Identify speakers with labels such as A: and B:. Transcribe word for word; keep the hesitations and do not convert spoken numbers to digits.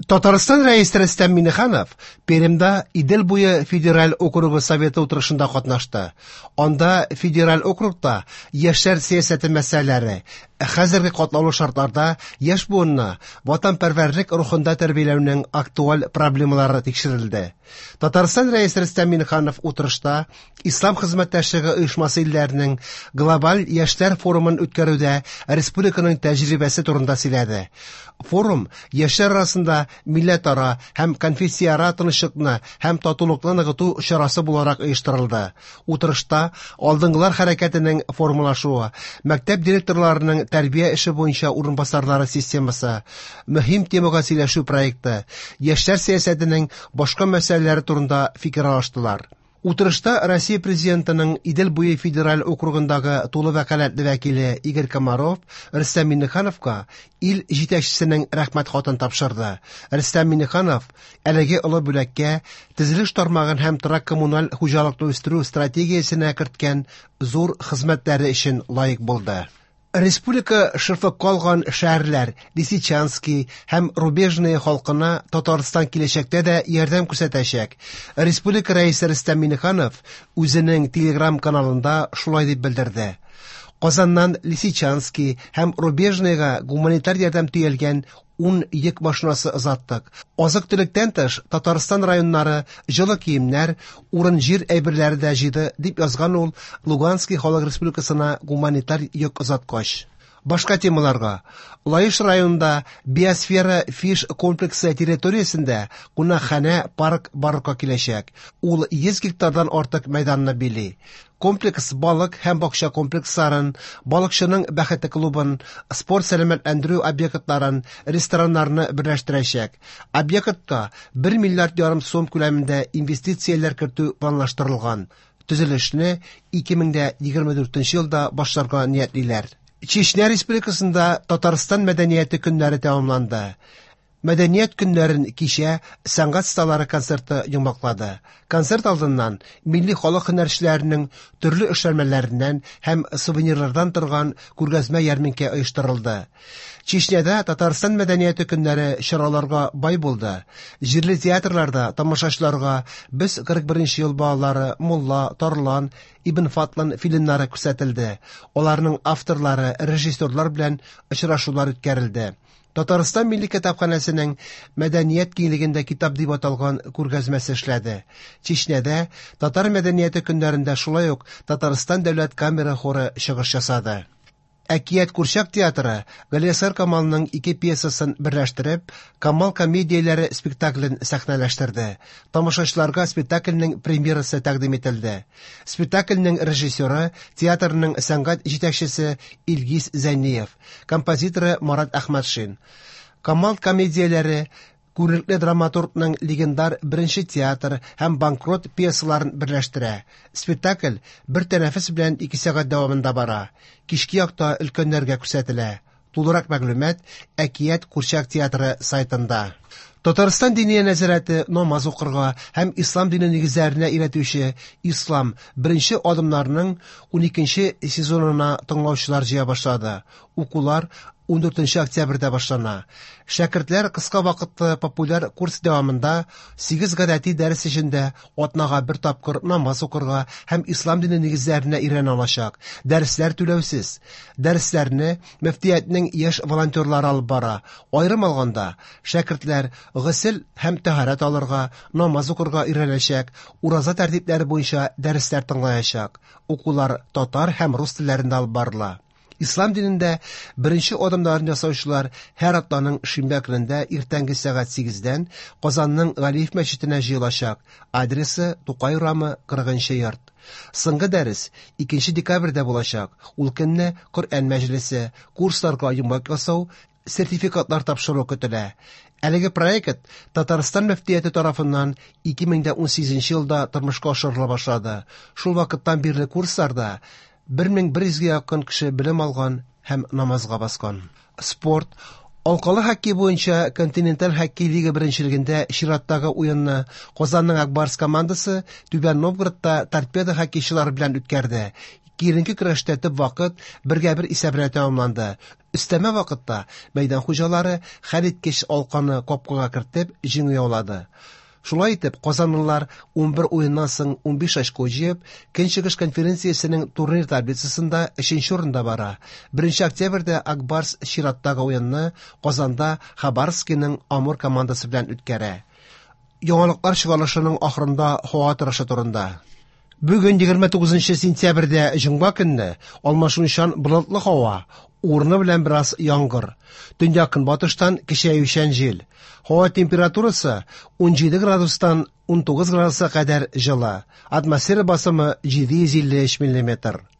A: Татарстан Рәисе Рөстәм Миңнеханов Пермьдә Идел буе федераль округы советы утырышында катнашты. Анда федераль округта яшьләр сәясәте мәсьәләләре, хәзерге катлаулы шартларда яшь буынны ватанпәрвәрлек рухында тәрбияләүнең актуаль проблемалары тикшерелде. Татарстан Рәисе Рөстәм Миңнеханов утырышта Ислам хезмәттәшлеге оешмасы илләренең глобаль яшьләр форумын үткәрүдә республиканың тәҗрибәсе турында сөйләде. Форум яшьләр арасында милләтара һәм конфессияара тынычлыкны һәм татулыкны ныгыту чарасы буларак оештырылды. Утырышта алдынгылар хәрәкәтенең формалашуы, мәктәп директорларының тәрбия эше буенча урынбасарлары системасы, мөһим темага сөйләшү проекты, яшьләр сәясәтенең башка мәсьәләләре турында фикер алыштылар. Утырышта Россия Президентының Идел буе федераль округындагы тулы вәкаләтле вәкиле Игорь Комаров Рөстәм Миңнехановка ил җитәкчесенең рәхмәт хатын тапшырды. Рөстәм Миңнеханов әлеге олы бүләккә төзелеш тармагын һәм торак коммуналь хуҗалыкны үстерү стратегиясенә керткән зур хезмәтләре өчен лаек булды. Республика шефы калган шәһәрләр Лисичанский һәм Рубежное халкына Татарстан киләчәктә дә ярдәм күрсәтәчәк. Республика рәисе Рөстәм Миңнеханов үзенең Телеграм каналында шулай дип белдерде. Казаннан Лисичанский һәм Рубежныйга гуманитар ярдәм төялгән ун йөк машинасы озаттык. Азык-төлектән тыш Татарстан районнары җылы киемнәр, урын-җир әйберләре дә җыйды, дип язган ул Луганский халык республикасына гуманитар йөк озаткач. Башка темаларга. Лаеш районында Биосфера фиш комплексы территориясендә кунакханә парк барлыкка киләчәк. Ул йөз гектардан артык мәйданны били. Комплекс балык һәм бакча комплексларын, балыкчының бәхете клубын, спорт сәламәтләндерү объектларын, рестораннарны берләштерәчәк. Объектка бер миллиард ярым сум күләмендә инвестицияләр кертү планлаштырылган. Төзелешне ике мең дә егерме дүртенче елда башларга ниятлиләр. Чечня Республикасында Татарстан мәдәнияте көннәре тәмамланды. Мәдәният көннәрен кичә сәнгать осталары концерты йомгаклады. Концерт алдыннан милли халык һөнәрчеләренең төрле эшләнмәләреннән һәм сувенирлардан торган күргәзмә ярминкә оештырылды. Чечняда Татарстан мәдәнияте көннәре чараларга бай булды. Җирле театрларда тамашачыларга Без кырык беренче ел балалары, Мулла, Тарлан, Ибн Фатлан фильмнары күрсәтелде. Аларның авторлары, режиссерлар белән очрашулар үткәрелде. Татарстан Милли китапханәсенең мәдәният киңлегендә китап дип аталган күргәзмәсе эшләде. Чечняда татар мәдәнияте көннәрендә шулай ук Татарстан дәүләт камера хоры чыгыш ясады. Әкият курчак театры Галиәсгар Камалның ике пьесасын берләштереп, Камал комедияләре спектаклен сәхнәләштерде. Тамашачыларга спектакльнең премьерасы тәкъдим ителде. Спектакльнең режиссеры, театрның сәнгать җитәкчесе Илгиз Зәйниев, композиторы Марат Әхмәтшин. Камал комедияләре күренекле драматургның легендар беренче театр һәм банкрот пьесаларын берләштерә. Спектакль бер тәнәфес белән ике сәгать дәвамында бара. Кичке якта өлкәннәргә күрсәтелә. Тулырак мәгълүмат Әкият курчак театры сайтында. Татарстан Диния нәзарәте намаз укырга һәм ислам дине нигезләренә өйрәтүче Ислам беренче адымнарының уникенче сезонына тыңлаучылар җыя башлады. Укулар ундүртенче октябрьдә башлана. Шәкертләр кыска вакытлы популяр курс дәвамында сигез гадәти дәрес эчендә атнага бер тапкыр намаз укырга һәм ислам дине нигезләренә өйрәнә алачак. Дәресләр түләүсез. Дәресләрне мөфтиятнең яшь волонтерлары алып бара. Аерым алганда, шәкертләр госел һәм тәһарәт алырга, намаз укырга өйрәнәчәк, ураза тәртипләре буенча дәресләр тыңлаячак. Укулар татар һәм рус телләрендә алып барыла. Ислам динендә беренче адымнарын ясаучылар һәр атнаның шимбә көнендә иртәнге сәгать сигездән Казанның Галиев мәчетенә җыелачак. Адресы Тукай урамы, кырыгынчы йорт. Соңгы дәрес икенче декабрьдә булачак. Ул көнне Коръән мәҗлесе, курсларга йомгак ясау, сертификатлар тапшыру көтелә. Әлеге проект Татарстан мөфтияте тарафыннан ике мең дә унсигезенче елда тормышка ашырыла башлады. Шул вакыттан бирле курсларда бер мең бер йөзгә якын кеше белем алган һәм намазга баскан. Спорт. Алкалы хоккей буенча континенталь хоккей лига беренчелегендә чираттагы уенны Казанның Акбарс командасы Түбән Новгородта Торпедо хоккейчылары белән үткәрде. Киеренке көрәштә төп вакыт бергә бер исәбенә тәмамланды. Өстәмә вакытта мәйдан хуҗалары хәлиткеч алканы капкага кертеп җиңү яулады. Шулай итеп, казанлылар унбер уеннан соң унбиш очко җыеп, Көнчыгыш конференциясенең турнир таблицасында өченче урында бара. Беренче октябрьдә Ак Барс чираттагы уенны Казанда Хабаровскиның Амур командасы белән үткәрә. Яңалыклар чыгарылышының ахырында һава торышы турында. Бүген егерме тугызынчы сентябрьдә җомга көнне алмашынучан болытлы һава, урыны белән бераз яңгыр. Төньяк көнбатыштан көчәючән җил. Һава температурасы унҗиде градустан унтугыз градуска кадәр җылы. Атмосфера басымы җиде йөз илле өч миллиметр.